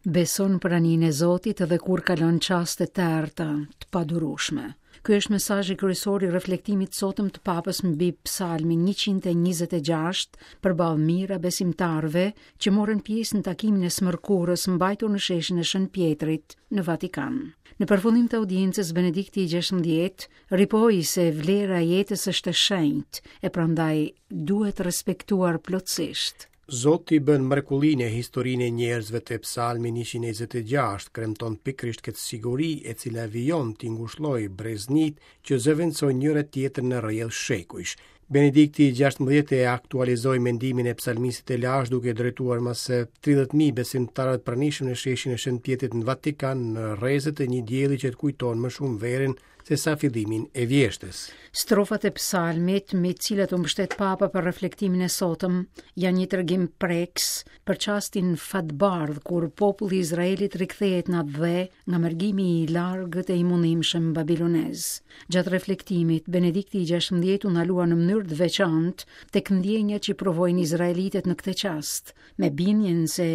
Beso në praninë e Zotit edhe kur kalon çaste të errëta, të padurueshme. Ky është mesazhi kryesor i reflektimit të sotëm të Papës mbi Psalmin 126 përballë mijëra besimtarëve që morën pjesë në takimin e së mërkurës mbajtur në sheshin e Shën Pjetrit në Vatikan. Në përfundim të audiencës Benedikti i 16 ripohoi se vlera e jetës është e shenjtë e prandaj duhet respektuar plotësisht. Zoti bën mrekulli në historinë e njerëzve te Psalmi 126 kremton pikërisht këtë siguri e cila vijon t'i ngushllojë breznitë që zëvendësojnë njëra tjetrën në rrjedhë shekujsh. Benedikti i 16 e aktualizoi mendimin e psalmistit të lashtë duke drejtuar më se 30.000 besimtarë të pranishëm në sheshin e Shën Pjetrit në Vatikan në rrezet e një dielli që të kujton më shumë verën se sa fillimin e vjeshtës. Strofat e psalmit, mbi të cilat u mbështet Papa për reflektimin e sotëm, janë një tregim prekës për çastin fatbardhë kur populli i Izraelit rikthehet në atdhe nga mërgimi i largët e i mundimshëm babilonez. Gjatë reflektimit, Benedikti i 16 u ndalua në mënyrë të veçantë tek ndjenjat që provojnë izraelitët në këtë çast, me bindjen se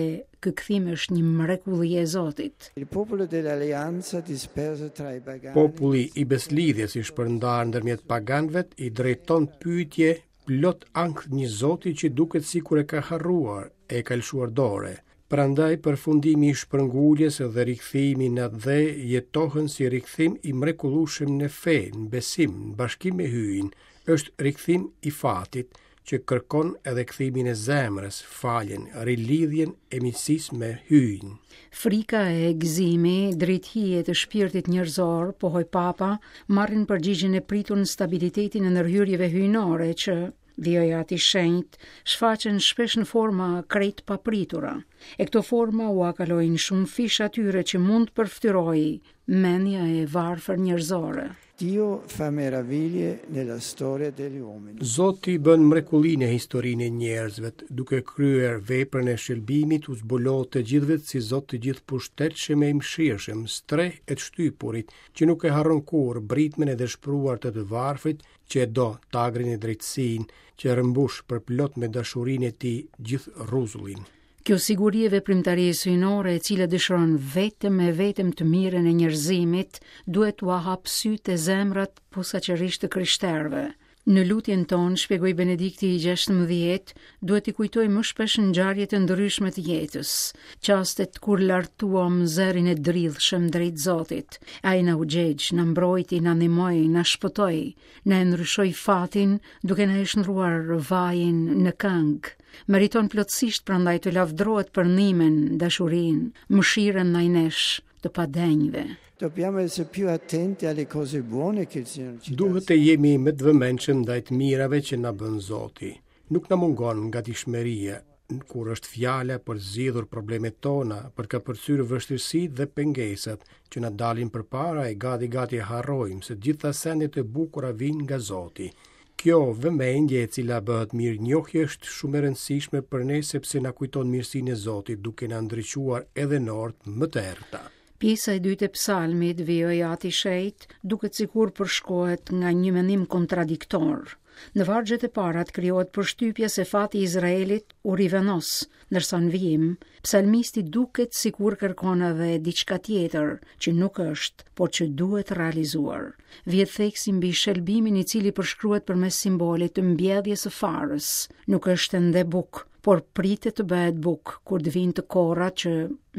ky kthim është një mrekulli e Zotit. Populli i besëlidhjes i shpërndarë ndërmjet paganëve i drejton pyetje plot ankth një Zoti që duket sikur e ka harruar, e ka lëshuar dore. Prandaj përfundimi i shpërnguljes dhe rikthimi në atdhe jetohen si rikthim i mrekullueshëm në fe, në besim, në bashkim me Hyjin, është rikthim i fatit, që kërkon edhe kthimin e zemrës, faljen, rilidhjen e miqësisë me Hyjin. Frika e gëzimi, dritëhijet e shpirtit njerëzor, pohoi Papa, marrin përgjigjen e pritur në stabilitetin e ndërhyrjeve hyjnore që, vijoi Ati i Shenjtë, shfaqen shpesh në forma krejt të papritura. E këto forma ua kalojnë shumëfish atyre që mund të përfytyrojë mendja e varfër njerëzore. Dio fa meraviglie nella storia degli uomini. Zoti bën mrekulli në historinë e njerëzve, duke kryer veprën e shëlbimit u zbulohet të gjithëve si Zot i gjithëpushtetshëm e i mëshirshëm, strehë e të shtypurit, që nuk e harron kurrë britmën e dëshpëruar të të varfrit, që e do tagrin e drejtësinë, që rrëmbush përplot me dashurinë e tij gjithë rruzullin. Kjo siguri e veprimtarisë hyjnore e cila dëshiron vetëm e vetëm të mirën e njerëzimit, duhet t'ua hapë sytë e zemrat posaçërisht të krishterëve. Në lutjen tonë, shpjegoi Benedikti i 16, duhet t'i kujtojmë më shpesh ngjarjet e ndryshme të jetës, çastet kur lartuam zërin e dridhshëm drejt Zotit. Ai na u gjegj, na mbrojti, na ndihmoi, na shpëtoi, na e ndryshoi fatin duke na e shndërruar vajin në këngë. Meriton plotësisht prandaj të lavdërohet për ndihmën, dashurinë, mëshirën ndaj nesh, të padenjëve. Dobbiamo essere più attenti alle cose buone che il Signore ci dà. Duhet të jemi më të vëmendshëm ndaj të mirave që na bën Zoti. Nuk na mungon gatishmëria kur është fjala për të zgjidhur problemet tona, për të kapërcyer vështirësitë dhe pengesat që na dalin përpara e gati gati harrojmë se të gjitha sendet e bukura vijnë nga Zoti. Kjo vëmendje e cila bëhet mirënjohje është shumë e rëndësishme për ne sepse na kujton mirësinë e Zotit duke na ndriçuar edhe në orët më të errëta. Pjesa e dytë e psalmit, vijoi Ati i Shenjtë, duket sikur përshkohet nga një mendim kontradiktor. Në vargjet e para të krijohet përshtypja se fati i Izraelit u rivendos, ndërsa në vijim, psalmisti duket sikur kërkon edhe diçka tjetër që nuk është, por që duhet realizuar. Vihet theksi mbi shëlbimin i cili përshkruhet përmes simbolit të mbjelljes së farës. Nuk është ende bukë, por pritet të bëhet bukë kur të vijnë të korra që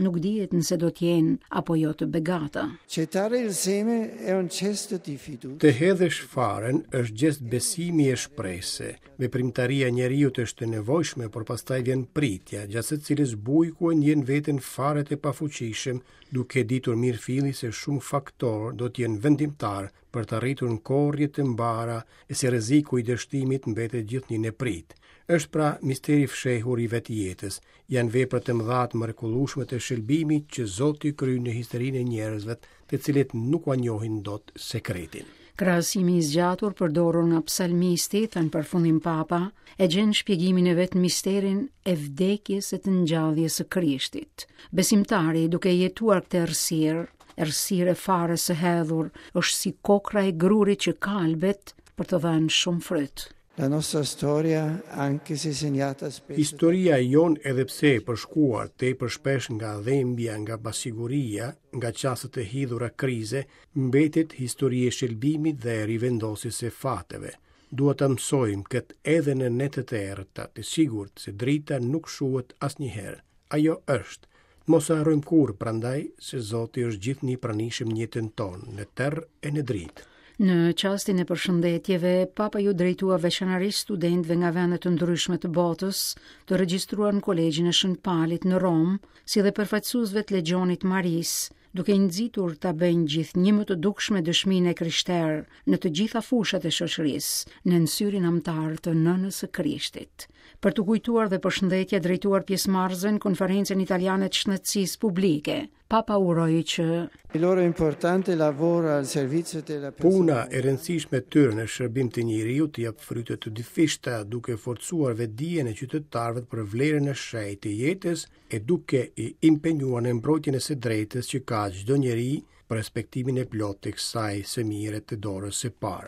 nuk dihet nëse do të jenë apo jo të begata. Gettare il seme è un gesto di fiducia. Të hedhësh farën është gjest besimi e shprese. Veprimtaria e njeriut është e nevojshme, por pastaj vjen pritja, gjatë së cilës bujku e ndjen veten fare të pafuqishëm, duke ditur mirëfilli se shumë faktorë do të jenë vendimtarë për të arritur në korrje të mbara e se rreziku i dështimit mbetet gjithnjë në pritë. Është pra misteri i fshehur i vetë jetës. Janë vepra të mëdha të mrekullueshme të shëlbimit që Zoti kryen në historinë e njerëzve, të cilët nuk ua njohin dot sekretin. Krahasimi i zgjatur përdorur nga psalmisti, tha në përfundim Papa, e gjen shpjegimin e vet në misterin e vdekjes e të ngjalljes së Krishtit. Besimtari, duke jetuar këtë errësirë, errësirë e farës së hedhur, është si kokrra e grurit që kalbet për të dhënë shumë fryt. La nostra storia, anche se segnata spesso Historia jonë edhe pse e përshkuar tepër shpesh nga dhembja, nga pasiguria, nga çastet e hidhura krize, mbetet histori e shëlbimit dhe e rivendosjes së fateve. Duhet ta mësojmë këtë edhe në netët e errëta, të sigurt se drita nuk shuhet asnjëherë. Ajo është. Të mos e harrojmë kurrë, prandaj, se Zoti është gjithnjë i pranishëm në jetën tonë, në terr e në dritë. Në çastin e përshëndetjeve, Papa iu drejtua veçanërisht studentëve nga vende të ndryshme të botës, të regjistruar në Kolegjin e Shën Palit në Romë, si dhe përfaqësuesve të Legjionit të Marisë, duke i nxitur ta bëjnë gjithnjë më të dukshme dëshminë e krishterë në të gjitha fushat e shoqërisë, nën syrin amtar të Nënës së Krishtit. Për t'u kujtuar dhe përshëndetja drejtuar pjesëmarrësve në Konferencën Italiane të Shëndetësisë Publike, Papa uroi që Il loro importante lavoro al servizio della Puna e rëndësishme e tyre në shërbim të njeriut jep fryte të dyfishta, duke forcuar vetëdijen e qytetarëve për vlerën e shenjtë të jetës e duke i impenjuar në mbrojtjen e së drejtës që ka çdo njeri për respektimin e plotë të kësaj së mire të dorës së parë.